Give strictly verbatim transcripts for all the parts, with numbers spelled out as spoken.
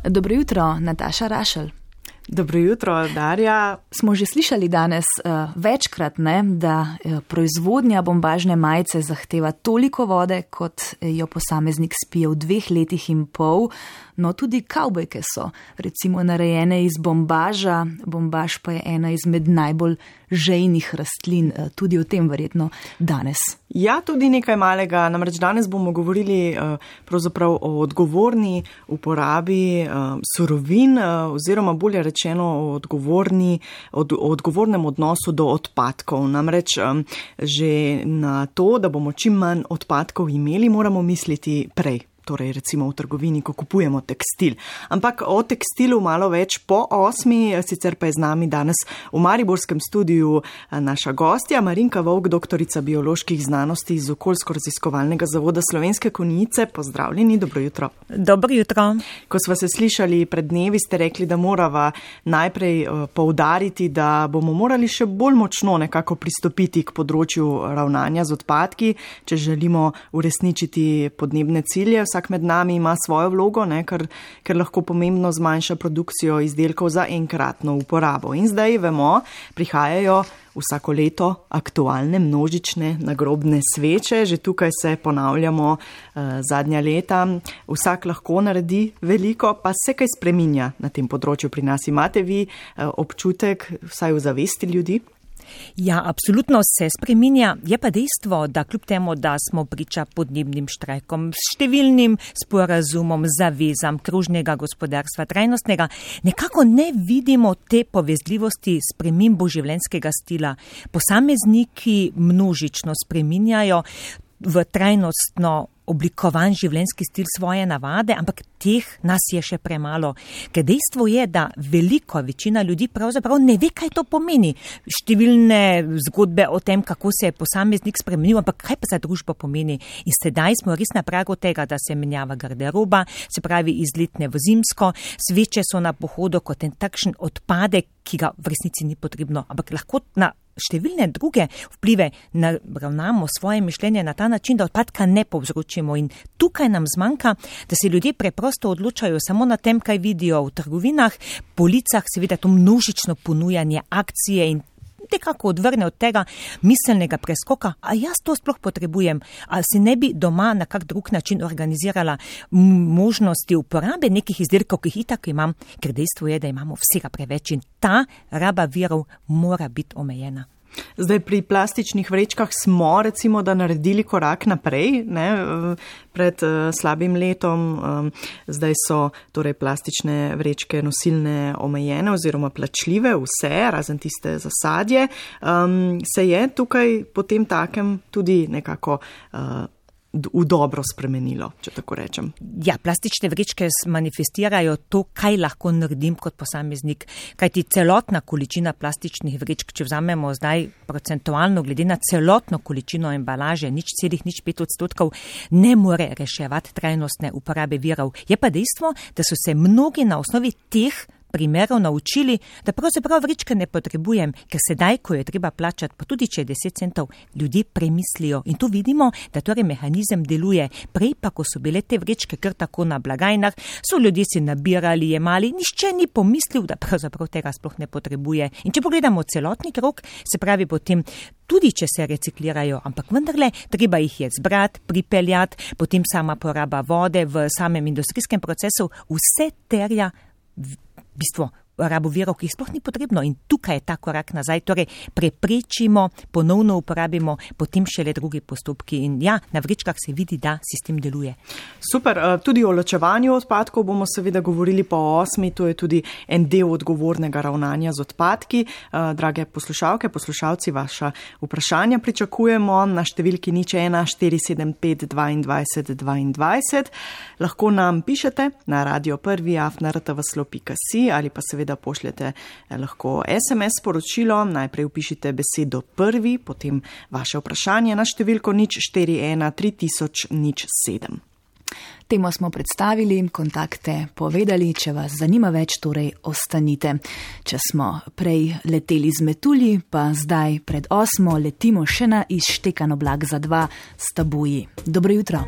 Dobro jutro, Nataša Rašelj. Dobro jutro, Darja. Smo že slišali danes uh, večkrat, ne, da uh, proizvodnja bombažne majice zahteva toliko vode, kot jo posameznik spije v dveh letih in pol. No, tudi kavbojke so recimo narejene iz bombaža. Bombaž pa je ena izmed najbolj žejnih rastlin, uh, tudi o tem verjetno danes. Ja, tudi nekaj malega. Namreč danes bomo govorili uh, pravzaprav o odgovorni uporabi uh, surovin uh, oziroma bolje rečeno o, odgovorni, od, o odgovornem odnosu do odpadkov. Namreč um, že na to, da bomo čim manj odpadkov imeli, moramo misliti prej. Torej recimo v trgovini, ko kupujemo tekstil. Ampak o tekstilu malo več po osmi, sicer pa je z nami danes v mariborskem studiu naša gostja, Marinka Vovk, doktorica bioloških znanosti iz Okoljsko-raziskovalnega zavoda Slovenske Konjice. Pozdravljeni, dobro jutro. Dobro jutro. Ko sva se slišali pred dnevi, ste rekli, da morava najprej poudariti, da bomo morali še bolj močno nekako pristopiti k področju ravnanja z odpadki, če želimo uresničiti podnebne cilje. Vsak med nami ima svojo vlogo, ne, ker, ker lahko pomembno zmanjša produkcijo izdelkov za enkratno uporabo. In zdaj vemo, prihajajo vsako leto aktualne množične nagrobne sveče, že tukaj se ponavljamo eh, zadnja leta. Vsak lahko naredi veliko, pa se kaj spreminja na tem področju pri nas. Imate vi eh, občutek, vsaj v zavesti ljudi? Ja, absolutno se spreminja. Je pa dejstvo, da kljub temu, da smo priča podnebnim štrajkom, številnim sporazumom, zavezam kružnega gospodarstva, trajnostnega, nekako ne vidimo te povezljivosti spremembo življenjskega stila. Posamezniki množično spreminjajo v trajnostno oblikovan življenjski stil svoje navade, ampak teh nas je še premalo. Ker dejstvo je, da velika večina ljudi pravzaprav ne ve, kaj to pomeni. Številne zgodbe o tem, kako se je posameznik spremenil, ampak kaj pa za družbo pomeni. In sedaj smo res na pragu tega, da se menjava garderoba, se pravi iz letne v zimsko, sveče so na pohodu kot en takšen odpadek, ki ga v resnici ni potrebno, ampak lahko na številne druge vplive naravnamo svoje mišljenje na ta način, da odpadka ne povzročimo. In tukaj nam zmanjka, da se ljudje preprosto odločajo samo na tem, kaj vidijo v trgovinah, policah, seveda to množično ponujanje akcije in nekako odvrne od tega miselnega preskoka, a jaz to sploh potrebujem, a se ne bi doma na kak drug način organizirala možnosti uporabe nekih izdelkov, ki jih itak imam, ker dejstvo je, da imamo vsega preveč in ta raba virov mora biti omejena. Zdaj pri plastičnih vrečkah smo recimo, da naredili korak naprej, ne, pred uh, slabim letom. Um, zdaj so torej plastične vrečke nosilne omejene oziroma plačljive, vse, razen tiste za sadje. Um, se je tukaj potem takem tudi nekako uh, v dobro spremenilo, če tako rečem. Ja, plastične vrečke manifestirajo to, kaj lahko naredim kot posameznik. Kajti celotna količina plastičnih vrečk, če vzamemo zdaj procentualno glede na celotno količino embalaže, nič celih, nič pet odstotkov, ne more reševati trajnostne uporabe virov. Je pa dejstvo, da so se mnogi na osnovi teh primerov naučili, da pravzaprav vrečke ne potrebujem, ker sedaj, ko je treba plačati, pa tudi če je deset centov, ljudje premislijo. In tu vidimo, da torej mehanizem deluje. Prej pa, ko so bile te vrečke kar tako na blagajnah, so ljudje si nabirali, jemali, nišče ni pomislil, da pravzaprav tega sploh ne potrebuje. In če pogledamo celotni krog, se pravi potem, tudi če se reciklirajo, ampak vendarle, treba jih je zbrati, pripeljati, potem sama poraba vode v samem industrijskem procesu, vse terja v bistvu rabo virov, ki jih sploh ni potrebno in tukaj je ta korak nazaj, torej preprečimo, ponovno uporabimo, potem šele drugi postopki in ja, na vrečkah se vidi, da sistem deluje. Super, tudi o ločevanju odpadkov bomo seveda govorili po osmi, to je tudi en del odgovornega ravnanja z odpadki. Drage poslušalke, poslušalci, vaša vprašanja pričakujemo na številki nič ena štiri sedem pet dvajset dvajset. Lahko nam pišete na radio prvi afna r t v slo pika si ali pa seveda da pošljete lahko es em es sporočilo, najprej upišite besedo prvi, potem vaše vprašanje na številko nič štiri ena tri tisoč nič sedem. Temo smo predstavili, kontakte povedali, če vas zanima več, torej ostanite. Če smo prej leteli z metulji, pa zdaj pred osmo letimo še na izštekan oblak za dva s tabuji. Dobro jutro.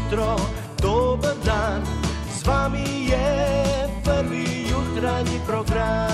jutro, dober dan, z vami je prvi jutranji program.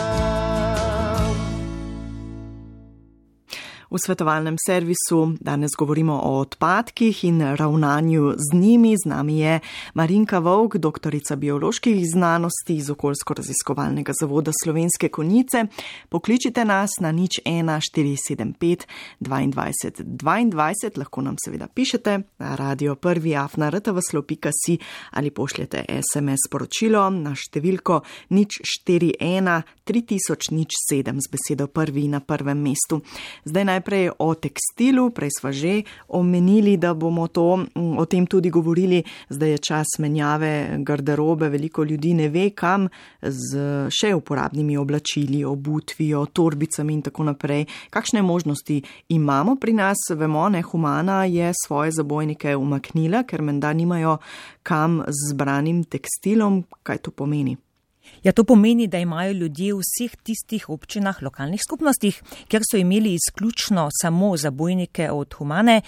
V svetovalnem servisu danes govorimo o odpadkih in ravnanju z njimi. Z nami je Marinka Vovk, doktorica bioloških znanosti iz Okoljsko-raziskovalnega zavoda Slovenske Konjice. Pokličite nas na nič ena štiri sedem pet dvajset dvajset, lahko nam seveda pišete na radio prvi afna r t v s l o pika s i ali pošljete es em es sporočilo na številko nič štiri ena tri tisoč nič sedem z besedo prvi na prvem mestu. Zdaj naj Najprej o tekstilu, prej sva že omenili, da bomo to, o tem tudi govorili, zdaj je čas menjave garderobe, veliko ljudi ne ve kam z še uporabnimi oblačili, obutvijo, torbicami in tako naprej. Kakšne možnosti imamo pri nas? Vemo, ne, Humana je svoje zabojnike umaknila, ker menda nimajo kam z zbranim tekstilom. Kaj to pomeni? Ja, to pomeni, da imajo ljudje v vseh tistih občinah, lokalnih skupnostih, kjer so imeli izključno samo zabojnike od Humane,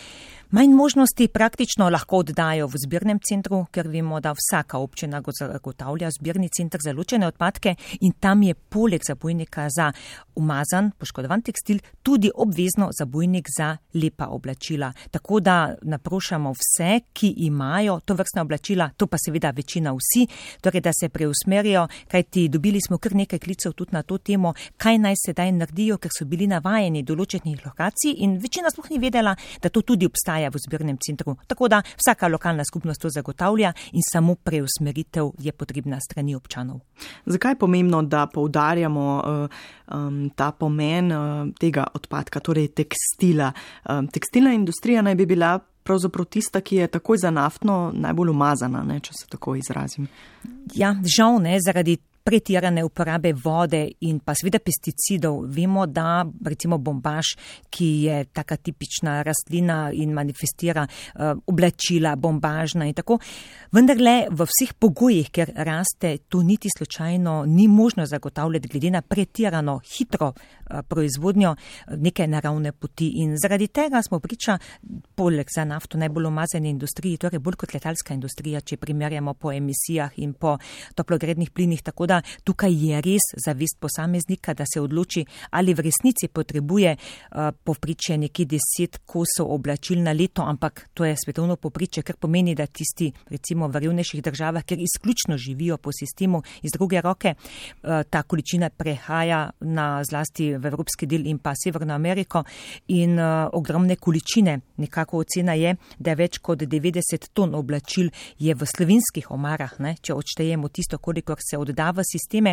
manj možnosti praktično lahko oddajo v zbirnem centru, ker vemo, da vsaka občina zagotavlja zbirni center za ločene odpadke in tam je poleg zabojnika za umazan, poškodovan tekstil tudi obvezno zabojnik za lepa oblačila. Tako da naprošamo vse, ki imajo to vrstne oblačila, to pa seveda večina vsi, torej da se preusmerijo, kajti dobili smo kar nekaj klicev tudi na to temo, kaj naj sedaj naredijo, ker so bili navajeni določenih lokacij in večina sploh ni vedela, da to tudi obstaja v zbirnem centru. Tako da vsaka lokalna skupnost to zagotavlja in samo preusmeritev je potrebna strani občanov. Zakaj je pomembno, da poudarjamo uh, um, ta pomen uh, tega odpadka, torej tekstila? Uh, tekstilna industrija naj bi bila pravzaprav tista, ki je takoj za naftno najbolj umazana, ne, če se tako izrazim. Ja, žal ne, zaradi pretirane uporabe vode in pa seveda pesticidov. Vemo, da recimo bombaž, ki je taka tipična rastlina in manifestira uh, oblačila bombažna in tako, vendarle v vseh pogojih, ker raste, to niti slučajno ni možno zagotavljati glede na pretirano hitro uh, proizvodnjo neke naravne poti. In zaradi tega smo priča, poleg za nafto najbolj umazane industriji, torej bolj kot letalska industrija, če primerjamo po emisijah in po toplogrednih plinih, tako da tukaj je res zavest posameznika, da se odloči, ali v resnici potrebuje uh, povprečje nekje deset kosov oblačil na leto, ampak to je svetovno povprečje, kar pomeni, da tisti recimo v revnejših državah, kjer izključno živijo po sistemu iz druge roke, uh, ta količina prehaja na zlasti v evropski del in pa Severno Ameriko in uh, ogromne količine. Nekako ocena je, da več kot devetdeset ton oblačil je v slovenskih omarah, ne, če odštejemo tisto, kolikor se odda v sisteme,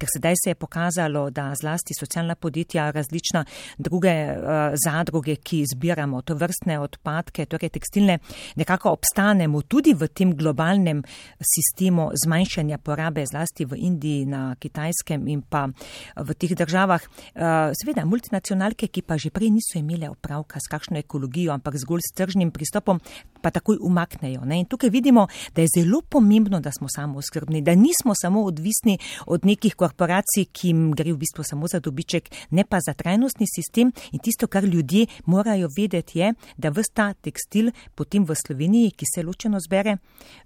ker sedaj se je pokazalo, da zlasti socialna podjetja, različna druge uh, zadruge, ki zbiramo to vrstne odpadke, torej tekstilne, nekako obstanemo tudi v tem globalnem sistemu zmanjšanja porabe, zlasti v Indiji, na Kitajskem in pa v teh državah. Uh, seveda multinacionalke, ki pa že prej niso imele opravka s kakšno ekologijo, ampak zgolj s tržnim pristopom, pa takoj umaknejo. Ne? In tukaj vidimo, da je zelo pomembno, da smo samooskrbni, da nismo samo odvisni od nekih korporacij, ki jim gre v bistvu samo za dobiček, ne pa za trajnostni sistem. In tisto, kar ljudje morajo vedeti, je, da ves ta tekstil potem v Sloveniji, ki se ločeno zbere,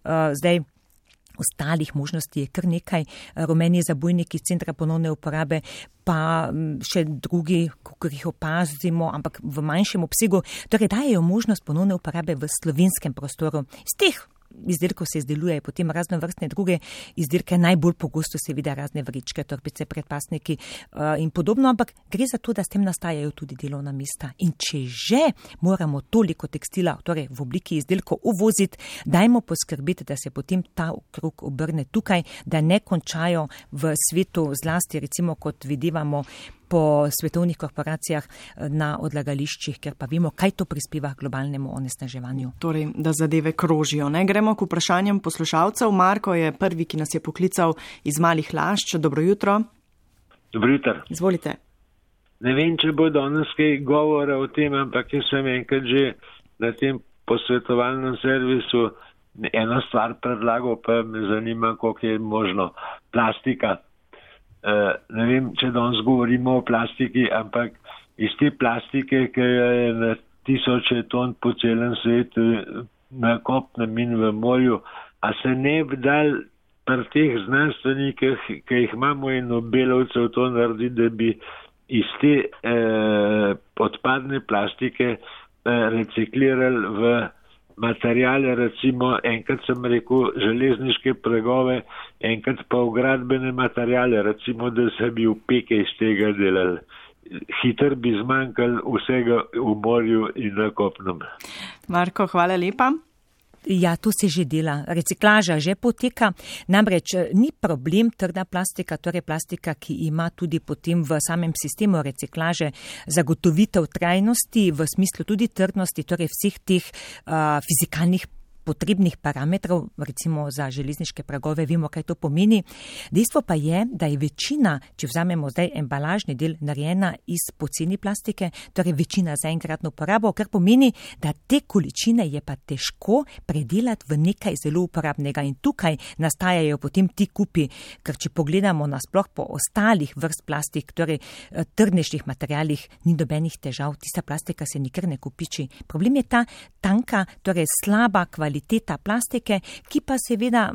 uh, zdaj ostalih možnosti je kar nekaj, rumeni zabojniki iz centra ponovne uporabe, pa še drugi, kako jih opazimo, ampak v manjšem obsegu, torej dajejo možnost ponovne uporabe v slovenskem prostoru. Z teh izdelkov se izdelujejo potem razno vrstne druge izdelke, najbolj pogosto seveda razne vrečke, torbice, predpasniki uh, in podobno, ampak gre za to, da s tem nastajajo tudi delovna mesta. In če že moramo toliko tekstila, torej v obliki izdelkov uvoziti, dajmo poskrbeti, da se potem ta krog obrne tukaj, da ne končajo v svetu, zlasti recimo kot videvamo po svetovnih korporacijah na odlagališčih, ker pa vemo, kaj to prispeva k globalnemu onesnaževanju. Torej, da zadeve krožijo. Ne? Gremo k vprašanjem poslušalcev. Marko je prvi, ki nas je poklical iz Malih Lašč. Dobro jutro. Dobro jutro. Izvolite. Ne vem, če bo danes kaj govora o tem, ampak jaz sem enkrat že na tem posvetovalnem servisu eno stvar predlagal, pa me zanima, koliko je možno. Plastika. Uh, ne vem, če danes govorimo o plastiki, ampak iz te plastike, ki je na tisoče ton po celem svetu na kopnem in v morju, a se ne bi dal pri teh znanstvenikih, ki jih imamo in Nobelovcev, to naredi, da bi iz te eh, odpadne plastike eh, reciklirali v materijale, recimo enkrat sem rekel železniške pregove, enkrat pa v gradbene materijale, recimo, da se bi upeke iz tega delali. Hitro bi zmanjkali vsega v morju in na kopnem. Marko, hvala lepa. Ja, to se že dela. Reciklaža že poteka. Namreč ni problem trda plastika, torej plastika, ki ima tudi potem v samem sistemu reciklaže zagotovitev trajnosti, v smislu tudi trdnosti, torej vseh teh uh, fizikalnih potrebnih parametrov, recimo za železniške pragove, vemo, kaj to pomeni. Dejstvo pa je, da je večina, če vzamemo zdaj embalažni del, narejena iz poceni plastike, torej večina za enkratno uporabo, kar pomeni, da te količine je pa težko predelati v nekaj zelo uporabnega. In tukaj nastajajo potem ti kupi, ker če pogledamo nasploh po ostalih vrst plastik, torej trdnejših materialih, ni nobenih težav, tista plastika se nikar ne kupiči. Problem je ta tanka, torej slaba kvaliteta kvaliteta plastike, ki pa seveda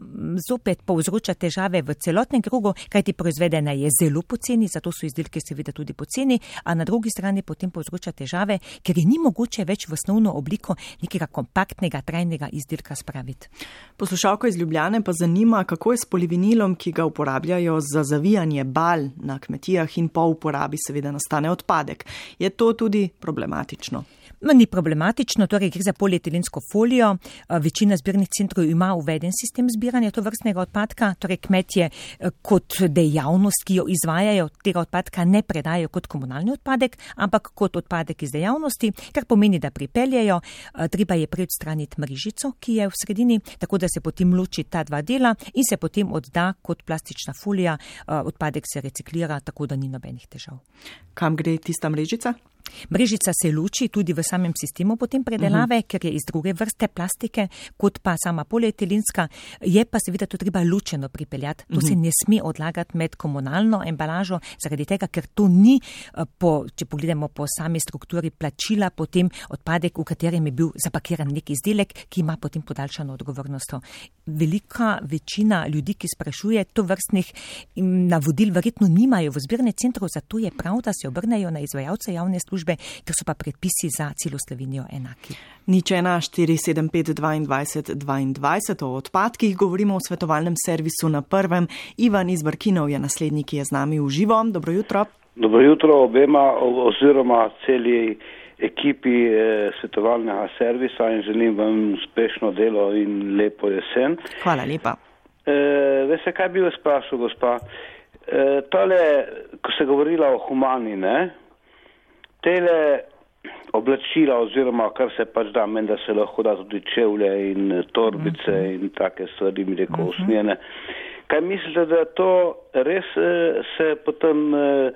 zopet povzroča težave v celotnem krogu, kajti proizvedena je zelo poceni, zato so izdelki seveda tudi poceni, a na drugi strani potem povzroča težave, ker je ni mogoče več v osnovno obliko nekega kompaktnega, trajnega izdelka spraviti. Poslušalko iz Ljubljane pa zanima, kako je s polivinilom, ki ga uporabljajo za zavijanje bal na kmetijah in po uporabi seveda nastane odpadek. Je to tudi problematično? Ni problematično, torej gre za polietilensko folijo. Večina zbirnih centrov ima uveden sistem zbiranja tovrstnega odpadka, torej kmetje kot dejavnost, ki jo izvajajo, tega odpadka ne predajo kot komunalni odpadek, ampak kot odpadek iz dejavnosti, kar pomeni, da pripeljejo, treba je prej odstraniti mrežico, ki je v sredini, tako da se potem loči ta dva dela in se potem odda kot plastična folija, odpadek se reciklira, tako da ni nobenih težav. Kam gre tista mrežica? Mrežica se loči tudi v samem sistemu potem predelave, uh-huh. ker je iz druge vrste plastike, kot pa sama polietilenska, je pa seveda to treba ločeno pripeljati. To uh-huh. se ne sme odlagati med komunalno embalažo, zaradi tega, ker to ni, po, če pogledamo po sami strukturi plačila, potem odpadek, v katerem je bil zapakiran nek izdelek, ki ima potem podaljšano odgovornost. Velika večina ljudi, ki sprašuje, to vrstnih navodil verjetno nimajo v zbirne centrov, zato je prav, da se obrnejo na izvajalce javne službe, ker so pa predpisi za celo Slovenijo enaki. Nič ena štiri sedem pet dvajset dvajset o odpadkih govorimo v svetovalnem servisu na Prvem. Ivan iz Brkinov je naslednji, ki je z nami v živo. Dobro jutro. Dobro jutro obema oziroma celi ekipi eh, svetovalnega servisa in želim vam uspešno delo in lepo jesen. Hvala lepa. Eh, veste, kaj bi vas sprašal, gospa? Eh, tole, ko ste govorila o humani, ne? Tele oblačila oziroma kar se pač da, meni da se lahko da tudi čevlje in torbice uh-huh. in take stvari, mi rekel, uh-huh. usmjene. Kaj mislite, da to res eh, se potem eh,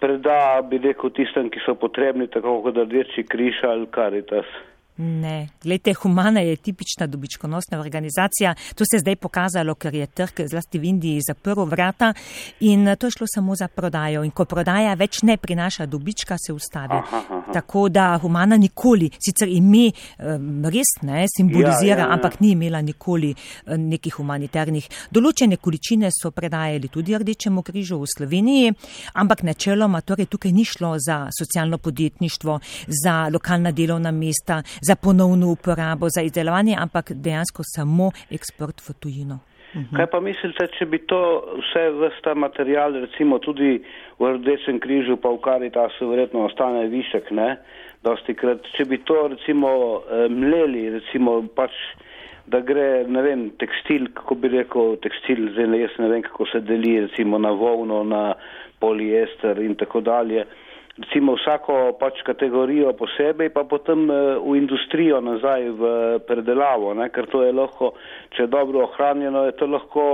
preda, bi rekel, tistem, ki so potrebni, tako kot Rdeči križ ali Karitas? Ne, glejte, Humana je tipična dobičkonosna organizacija. To se je zdaj pokazalo, ker je trg zlasti v Indiji zaprl vrata in to je šlo samo za prodajo. In ko prodaja več ne prinaša dobička, se ustavi. Aha, aha. Tako da Humana nikoli, sicer ime res ne simbolizira, ja, ja, ja. ampak ni imela nikoli nekih humanitarnih. Določene količine so predajali tudi Rdečemu križu v Sloveniji, ampak načeloma torej tukaj ni šlo za socialno podjetništvo, za lokalna delovna mesta, za ponovno uporabo, za izdelovanje, ampak dejansko samo eksport v tujino. Uh-huh. Kaj pa mislite, če bi to vse vrsta material, recimo tudi v Rdečem križu, pa v Karitasu verjetno ostane višek, ne? Dosti krat, če bi to recimo mleli, recimo pač, da gre, ne vem, tekstil, kako bi rekel, tekstil, zdaj jaz ne vem, kako se deli, recimo na volno, na poliester in tako dalje. Recimo vsako pač kategorijo posebej, pa potem v industrijo nazaj v predelavo, ne? Ker to je lahko, če je dobro ohranjeno, je to lahko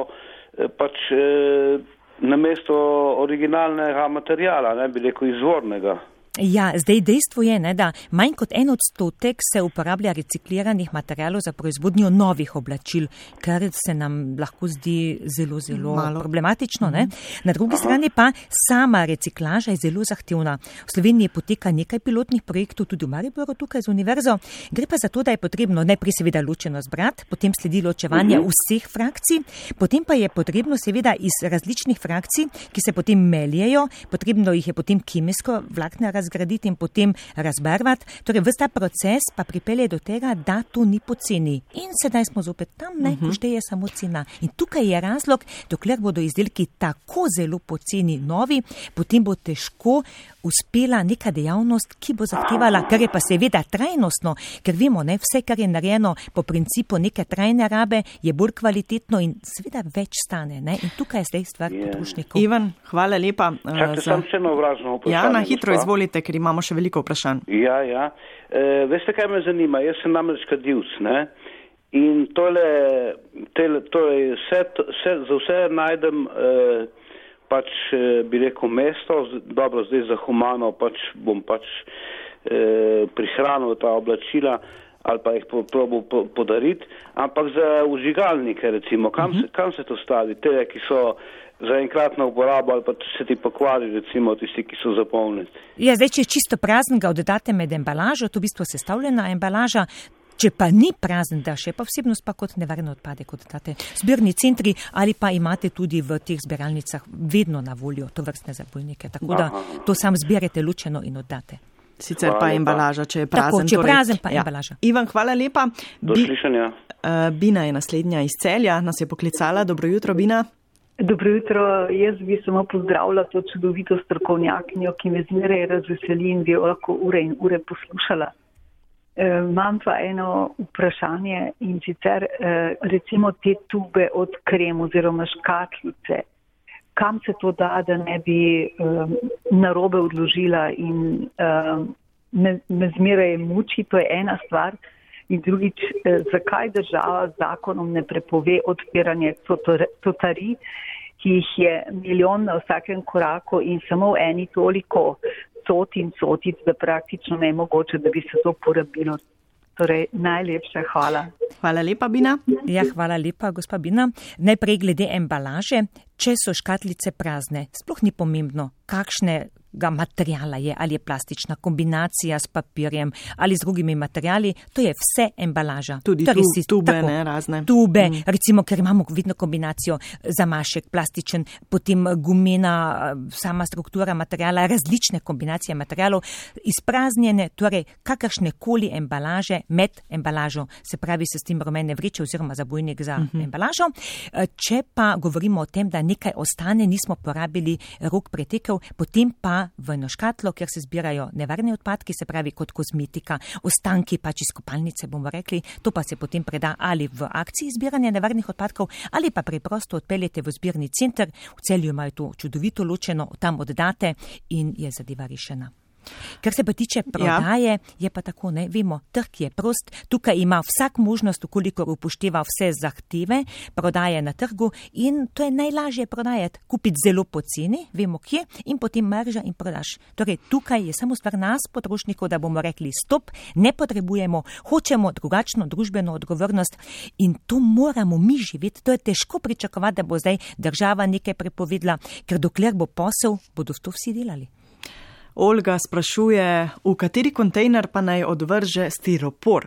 pač eh, namesto originalnega materijala, ne bi rekel izvornega. Ja, zdaj dejstvo je, ne, da manj kot en odstotek se uporablja recikliranih materialov za proizvodnjo novih oblačil, kar se nam lahko zdi zelo, zelo Malo. problematično. Ne. Na drugi Aha. strani pa sama reciklaža je zelo zahtevna. V Sloveniji poteka nekaj pilotnih projektov, tudi v Mariboru tukaj z univerzo. Gre pa za to, da je potrebno najprej seveda ločeno zbrati, potem sledi ločevanje uh-huh. vseh frakcij, potem pa je potrebno seveda iz različnih frakcij, ki se potem meljejo, potrebno jih je potem kemijsko vlakne razgraditi in potem razbarvati. Torej, ves ta proces pa pripelje do tega, da to ni poceni. In sedaj smo zopet tam, ne, uh-huh. ko šteje samo cena. In tukaj je razlog, dokler bodo izdelki tako zelo poceni novi, potem bo težko uspela neka dejavnost, ki bo zahtevala, kar je pa seveda trajnostno, ker vemo, ne, vse, kar je narejeno po principu neke trajne rabe, je bolj kvalitetno in seveda več stane. Ne? In tukaj je zdaj stvar yeah. potrošnikov. Ivan, hvala lepa. Čakaj, za... sem še eno vprašanje. Ja, na hitro gospa. Izvolite, ker imamo še veliko vprašanj. Ja, ja. E, veste, kaj me zanima? Jaz sem namreč kadilc, ne? In tole, tele, tole, vse, vse, za vse najdem eh, pač, eh, bi rekel, mesto, dobro, zdaj za humano pač bom pač eh, prihranil ta oblačila ali pa jih probal po, podariti, ampak za vžigalnike, recimo, kam, uh-huh. se, kam se to stavi? Te, ki so za enkratno uporabo ali pa se ti pokvari, recimo, tisti, ki so zapolniti. Ja, zdaj, če je čisto prazen, ga oddate med embalažo, to v bistvu sestavljena embalaža. Če pa ni prazen, da še pa vsebnost pa kot nevarne odpade, kot date zbirni centri ali pa imate tudi v teh zbiralnicah vedno na voljo to vrstne zabojnike. Tako da to sam zbirate ločeno in oddate. Sicer pa embalaža, če je prazen. Tako, če je torej, prazen, pa ja. embalaža. Ivan, hvala lepa. Do slišanja. Uh, Bina je naslednja iz Celja, nas je poklicala. Dobro jutro, Bina. Dobro jutro, jaz bi samo pozdravila to čudovito strokovnjakinjo, ki me zmeraj razveseli in bi jo lahko ure in ure poslušala. Imam pa eno vprašanje in sicer recimo te tube od krem oziroma škatlice. Kam se to da, da ne bi um, narobe odložila in um, me, me zmeraj muči, to je ena stvar. In drugič, eh, zakaj država z zakonom ne prepove odpiranje totarij, ki jih je milijon na vsakem koraku in samo v eni toliko cot in cotic, da praktično ne je mogoče, da bi se to porabilo. Torej, najlepša hvala. Hvala lepa, Bina. Ja, hvala lepa, gospa Bina. Najprej glede embalaže, če so škatlice prazne, sploh ni pomembno, kakšne ga materijala je, ali je plastična kombinacija s papirjem ali z drugimi materijali, to je vse embalaža. Tudi torej, tu, si, tube, tako, ne, razne. Tube, mm. recimo, ker imamo vidno kombinacijo zamašek, plastičen, potem gumena, sama struktura materijala, različne kombinacije materijalov, izpraznjene, torej kakršne koli embalaže med embalažo, se pravi se s tem rumene vreče oziroma zabojnik za mm-hmm. embalažo. Če pa govorimo o tem, da nekaj ostane, nismo porabili, rok pretekel, potem pa v eno škatlo, kjer se zbirajo nevarne odpadki, se pravi kot kozmetika, ostanki pač iz kopalnice, bomo rekli, to pa se potem preda ali v akciji zbiranja nevarnih odpadkov, ali pa preprosto odpeljete v zbirni center, v Celju imajo to čudovito ločeno, tam oddate in je zadeva rešena. Kar se pa tiče prodaje, ja. je pa tako, ne, vemo, trg je prost, tukaj ima vsak možnost, kolikor upošteva vse zahteve, prodaje na trgu in to je najlažje prodajati, kupiti zelo poceni, vemo kje, in potem marža in prodaš. Torej, tukaj je samo stvar nas, potrošnikov, da bomo rekli stop, ne potrebujemo, hočemo drugačno družbeno odgovornost in to moramo mi živeti. To je težko pričakovati, da bo zdaj država nekaj prepovedala, ker dokler bo posel, bodo to vsi delali. Olga sprašuje, v kateri kontejner pa naj odvrže stiropor?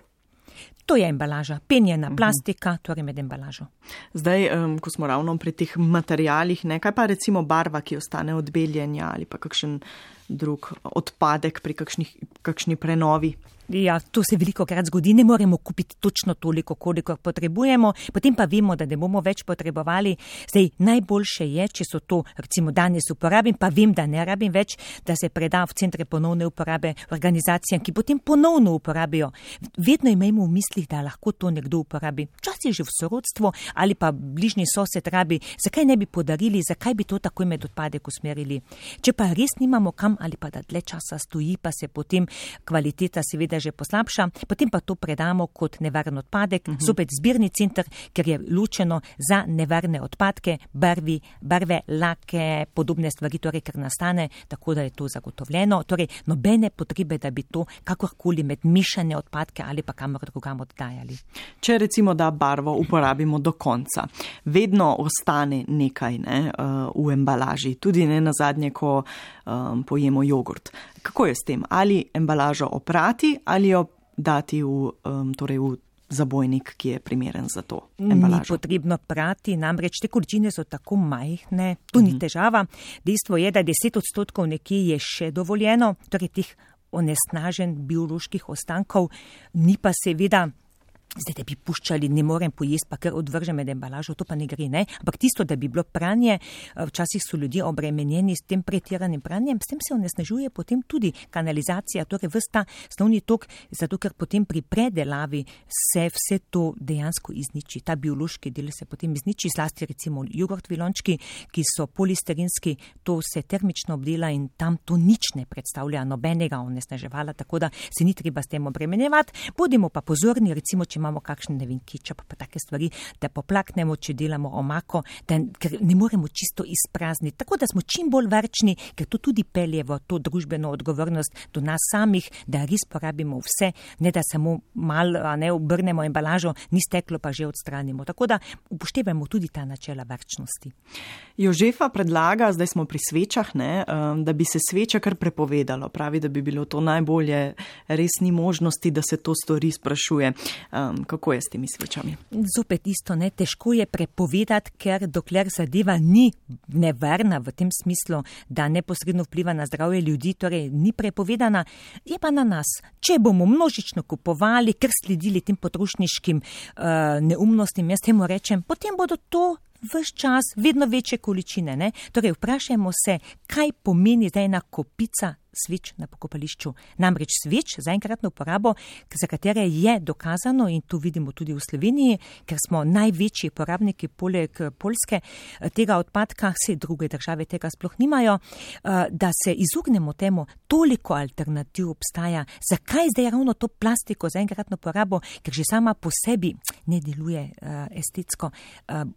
To je embalaža, penjena plastika, torej med embalažo. Zdaj, um, ko smo ravno pri teh materialih, ne, kaj pa recimo barva, ki ostane od beljenja ali pa kakšen drug odpadek pri kakšni, kakšni prenovi? Ja, to se veliko krat zgodi, ne moremo kupiti točno toliko, koliko potrebujemo, potem pa vemo, da ne bomo več potrebovali. Zdaj, najboljše je, če so to, recimo danes uporabim, pa vem, da ne rabim več, da se preda v centre ponovne uporabe organizacijam, ki potem ponovno uporabijo. Vedno imejmo v mislih, da lahko to nekdo uporabi. Včasih že v sorodstvo ali pa bližnji sosed rabi, zakaj ne bi podarili, zakaj bi to takoj med odpadek usmerili. Če pa res nimamo kam tam ali pa da dlje časa stoji, pa se potem kvaliteta seveda že poslabša, potem pa to predamo kot nevaren odpadek, uh-huh. zopet zbirni center, ker je ločeno za nevarne odpadke, barvi, barve, lake, podobne stvari, torej, ker nastane, tako da je to zagotovljeno. Torej, nobene potrebe, da bi to kakorkoli med mišane odpadke ali pa kamor drugam oddajali. Če recimo da barvo uporabimo do konca, vedno ostane nekaj ne, v embalaži, tudi ne nazadnje, ko um, pojemo jogurt. Kako je s tem? Ali embalažo oprati ali jo dati v, um, torej v zabojnik, ki je primeren za to embalažo? Ni potrebno prati, namreč te količine so tako majhne, to ni težava. Dejstvo je, da deset odstotkov nekje je še dovoljeno, torej teh onesnažen bioloških ostankov, ni pa seveda, zdaj, da bi puščali, ne morem pojesti, pa ker odvržem med embalažo, to pa ne gre, ne? Ampak tisto, da bi bilo pranje, včasih so ljudje obremenjeni s tem pretiranim pranjem, s tem se onesnažuje potem tudi kanalizacija, torej ves ta snovni tok, zato ker potem pri predelavi se vse to dejansko izniči. Ta biološki del se potem izniči, zlasti recimo jogurt vilončki, ki so polisterinski, to se termično obdela in tam to nič ne predstavlja nobenega onesnaževala, tako da se ni treba s tem obremenjevati. Bodimo pa pozorni, recimo, če imamo kakšne, ne vem, kečap, pa take stvari, da poplaknemo, če delamo omako, da, ker ne moremo čisto izprazniti. Tako da smo čim bolj varčni, ker to tudi pelje v to družbeno odgovornost do nas samih, da res porabimo vse, ne da samo malo, a ne, obrnemo embalažo, ni steklo, pa že odstranimo. Tako da upoštevamo tudi ta načela varčnosti. Jožefa predlaga, zdaj smo pri svečah, ne, da bi se sveče kar prepovedalo. Pravi, da bi bilo to najbolje, res ni možnosti, da se to stori, sprašuje. Um, kako je s temi svečami? Zopet isto, ne, težko je prepovedati, ker dokler zadeva ni nevarna v tem smislu, da neposredno vpliva na zdravje ljudi, torej ni prepovedana, je pa na nas. Če bomo množično kupovali, ker sledili tem potrošniškim uh, neumnostim, jaz temu rečem, potem bodo to ves čas vedno večje količine. Ne? Torej, vprašajmo se, kaj pomeni zdaj ena kopica sveč na pokopališču. Namreč sveč za enkratno uporabo, za katere je dokazano, in to vidimo tudi v Sloveniji, ker smo največji porabniki poleg Poljske tega odpadka, vse druge države tega sploh nimajo, da se izognemo temu, toliko alternativ obstaja. Zakaj zdaj ravno to plastiko za enkratno uporabo, ker že sama po sebi ne deluje estetsko.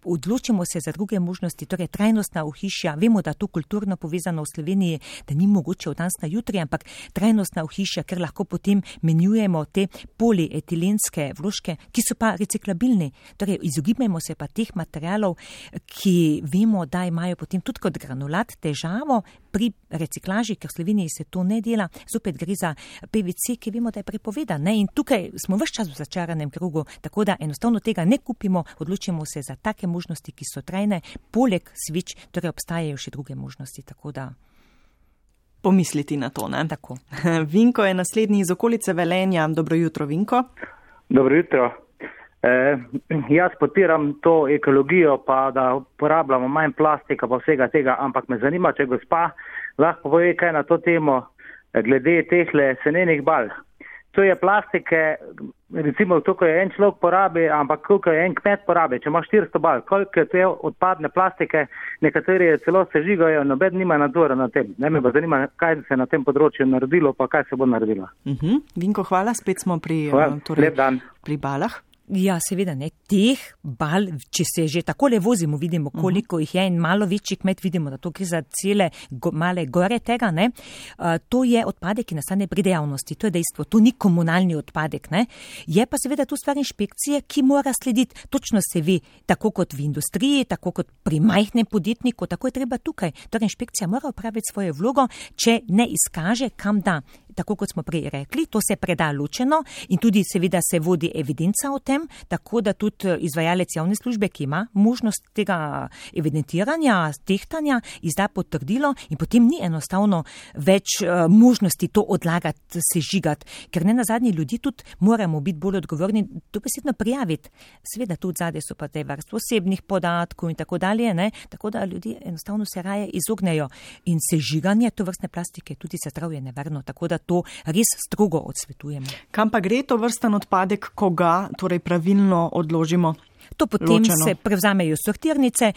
Odločimo se za druge možnosti, torej trajnostna ohišja. Vemo, da to kulturno povezano v Sloveniji, da ni mogoče od danes na jutri, ampak trajnostna ohišja, ker lahko potem menjujemo te polietilenske vložke, ki so pa reciklabilni. Torej, izogibajmo se pa teh materialov, ki vemo, da imajo potem tudi kot granulat težavo pri reciklaži, ker v Sloveniji se to ne dela. Zopet gre za P V C, ki vemo, da je prepovedan. Ne? In tukaj smo ves čas v začaranem krogu, tako da enostavno tega ne kupimo, odločimo se za take možnosti, ki so trajne. Poleg sveč, torej obstajajo še druge možnosti, tako da pomisliti na to, ne? Tako. Vinko je naslednji iz okolice Velenja. Dobro jutro, Vinko. Dobro jutro. E, jaz podpiram to ekologijo, pa da uporabljamo manj plastika, pa vsega tega, ampak me zanima, če gospa lahko pove kaj na to temo glede tehle senenih bal. To je plastike, recimo, koliko je en človek porabi, ampak koliko je en kmet porabi. Če ima štiristo bal, koliko je te odpadne plastike, nekateri celo sežigajo, noben nima nadzora na tem. Ne me pa zanima, kaj se na tem področju naredilo, pa kaj se bo naredilo. Uh-huh. Vinko, hvala, spet smo pri, hvala, torej, lep dan. Pri balah. Ja, seveda ne. Teh bal, če se že takole vozimo, vidimo, koliko uh-huh. jih je, in malo večji kmet vidimo, da to gre za cele go, male gore tega, ne. Uh, to je odpadek, ki nastane pri dejavnosti. To je dejstvo. To ni komunalni odpadek, ne. Je pa seveda tu stvar inšpekcije, ki mora slediti. Točno se ve, tako kot v industriji, tako kot pri majhnem podjetniku, tako je treba tukaj. Torej inšpekcija mora opraviti svojo vlogo, če ne izkaže, kam da. Tako kot smo prej rekli, to se preda ločeno in tudi seveda se vodi evidenca o tem, tako da tudi izvajalec javne službe, ki ima možnost tega evidentiranja, tehtanja, izda potrdilo in potem ni enostavno več uh, možnosti to odlagati, sežigati, ker ne nazadnje ljudi tudi moramo biti bolj odgovorni, to besedno prijaviti. Seveda tudi zadaj so pa te varstvo osebnih podatkov in tako dalje, ne? Tako da ljudje enostavno se raje izognejo in sežiganje tovrstne plastike tudi za zdravje nevarno, tako da to res strogo odsvetujemo. Kam pa gre to vrsten odpadek, ko ga torej pravilno odložimo? To potem ločeno. Se prevzamejo sortirnice,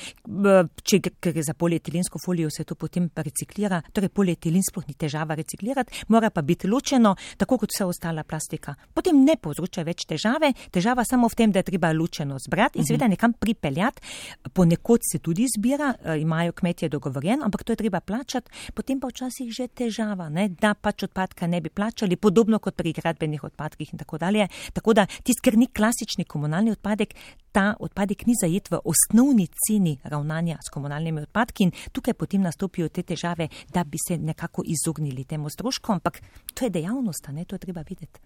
če gre za polietilensko folijo, se to potem reciklira. Torej polietilen sploh ni težava reciklirati, mora pa biti ločeno, tako kot vse ostala plastika. Potem ne povzroča več težave, težava samo v tem, da je treba ločeno zbrati in seveda nekam pripeljati. Ponekod se tudi zbira, imajo kmetje dogovorjen, ampak to je treba plačati, potem pa včasih že težava, ne, da pač odpadka ne bi plačali, podobno kot pri gradbenih odpadkih in tako dalje. Tako da tisti, ker ni klasični komunalni odpadek, ta odpadek ni zajet v osnovni ceni ravnanja s komunalnimi odpadki in tukaj potem nastopijo te težave, da bi se nekako izognili temu strošku, ampak to je dejavnost, ne, to je treba videti.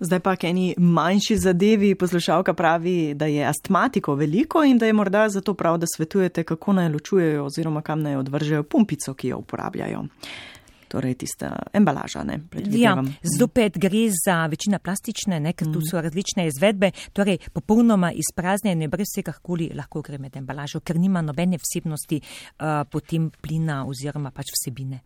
Zdaj pa k eni manjši zadevi poslušalka pravi, da je astmatikov veliko in da je morda zato prav, da svetujete, kako naj ločujejo oziroma kam naj odvržejo pumpico, ki jo uporabljajo. Torej tista embalaža, ne, predvidevam. Ja, zopet gre za večina plastične, ne, ker tu so različne izvedbe, torej popolnoma izpraznjene, brez vsekakoli lahko gre med embalažo, ker nima nobene vsebnosti uh, potem plina oziroma pač vsebine.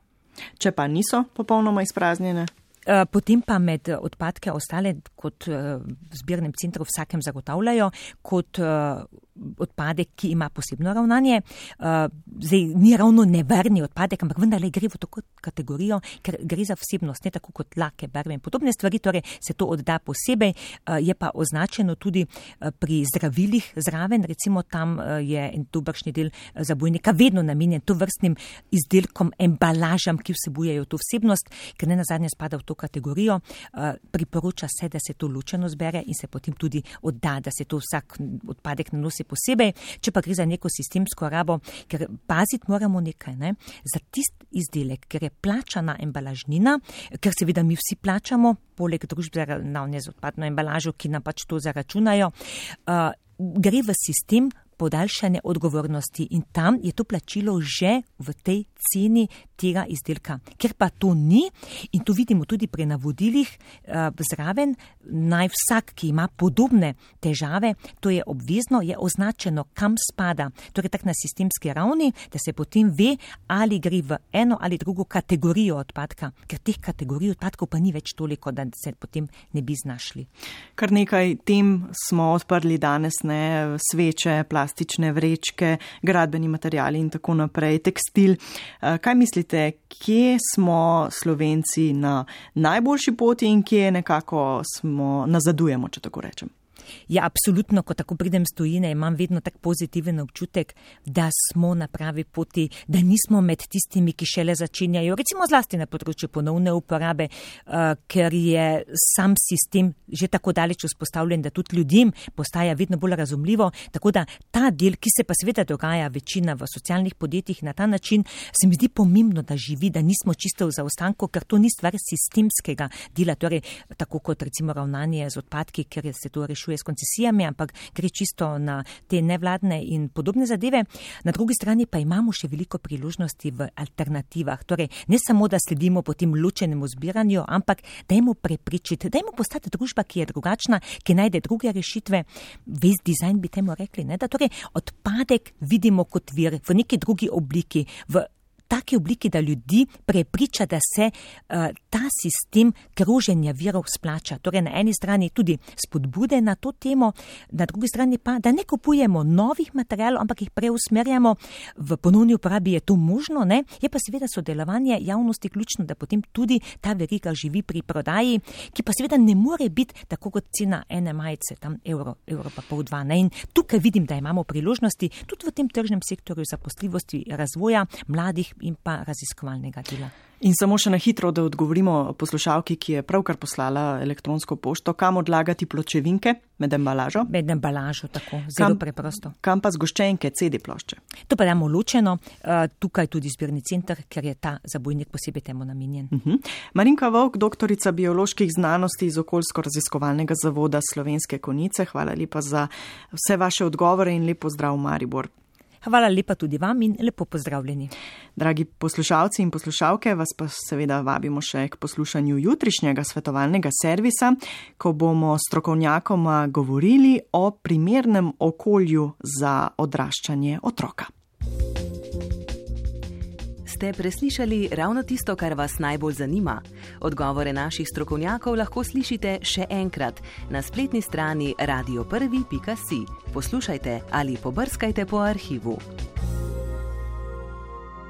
Če pa niso popolnoma izpraznjene? Uh, potem pa med odpadke ostale, kot uh, v zbirnem centru vsakem zagotavljajo, kot uh, odpadek, ki ima posebno ravnanje. Uh, zdaj ni ravno nevarni odpadek, ampak vendarle gre v to kategorijo, ker gre za vsebnost, ne tako kot lake, barve in podobne stvari, torej se to odda posebej. Uh, je pa označeno tudi uh, pri zdravilih zraven, recimo tam uh, je en dobršni del zabojnika vedno namenjen to vrstnim izdelkom, embalažam, ki vsebujejo to vsebnost, ker ne nazadnje spada v to kategorijo. Uh, priporoča se, da se to ločeno zbere in se potem tudi odda, da se to vsak odpadek nanosi posebej, če pa gre za neko sistemsko rabo, ker paziti moramo nekaj, ne? Za tist izdelek, ker je plačana embalažnina, ker seveda mi vsi plačamo, poleg družb za ravnanje z odpadno embalažo, ki nam pač to zaračunajo, uh, gre v sistem podaljšane odgovornosti in tam je to plačilo že v tej ceni tega izdelka. Ker pa to ni, in to vidimo tudi pri navodilih uh, zraven, naj vsak, ki ima podobne težave, to je obvezno, je označeno, kam spada. Torej tak na sistemski ravni, da se potem ve, ali gre v eno ali drugo kategorijo odpadka, ker teh kategorij odpadkov pa ni več toliko, da se potem ne bi znašli. Kar nekaj tem smo odprli danes, ne, sveče, plastične vrečke, gradbeni materiali in tako naprej, tekstil. Kaj mislite, kje smo Slovenci na najboljši poti in kje nekako smo nazadujemo, če tako rečem? Ja, absolutno, ko tako pridem s tujine, imam vedno tak pozitiven občutek, da smo na pravi poti, da nismo med tistimi, ki šele začenjajo, recimo zlasti na področju ponovne uporabe, uh, ker je sam sistem že tako daleč vzpostavljen, da tudi ljudem postaja vedno bolj razumljivo, tako da ta del, ki se pa seveda dogaja večina v socialnih podjetjih na ta način, se mi zdi pomembno, da živi, da nismo čisto v zaostanku, ker to ni stvar sistemskega dela, torej tako kot recimo ravnanje z odpadki, ker se to rešuje s koncesijami, ampak gre čisto na te nevladne in podobne zadeve. Na drugi strani pa imamo še veliko priložnosti v alternativah. Torej, ne samo, da sledimo potem ločenemu zbiranju, ampak dajmo prepričiti, dajmo postati družba, ki je drugačna, ki najde druge rešitve. Waste design bi temu rekli, ne? Da torej odpadek vidimo kot vir v neki drugi obliki, v taki obliki, da ljudi prepriča, da se uh, ta sistem kroženja virov splača. Torej na eni strani tudi spodbude na to temo, na drugi strani pa, da ne kupujemo novih materialov, ampak jih preusmerjamo. V ponovni uporabi je to možno, ne? Je pa seveda sodelovanje javnosti ključno, da potem tudi ta veriga živi pri prodaji, ki pa seveda ne more biti tako kot cena ene majice, tam evro, evro pa pol dva. Ne? In tukaj vidim, da imamo priložnosti tudi v tem tržnem sektorju zaposljivosti, razvoja mladih in pa raziskovalnega dela. In samo še na hitro, da odgovorimo poslušalki, ki je pravkar poslala elektronsko pošto, kam odlagati pločevinke med embalažo? Med embalažo, tako, zelo kam, preprosto. Kam pa zgoščenke, ce de plošče? To pa damo ločeno, uh, tukaj tudi zbirni center, ker je ta zabojnik posebej temu namenjen. Uh-huh. Marinka Vovk, doktorica bioloških znanosti iz Okoljsko-raziskovalnega zavoda Slovenske Konjice, hvala lepa za vse vaše odgovore in lep pozdrav Maribor. Hvala lepa tudi vam in lepo pozdravljeni. Dragi poslušalci in poslušalke, vas pa seveda vabimo še k poslušanju jutrišnjega svetovalnega servisa, ko bomo strokovnjakoma govorili o primernem okolju za odraščanje otroka. Ste preslišali ravno tisto, kar vas najbolj zanima? Odgovore naših strokovnjakov lahko slišite še enkrat na spletni strani radio prvi pika si. Poslušajte ali pobrskajte po arhivu.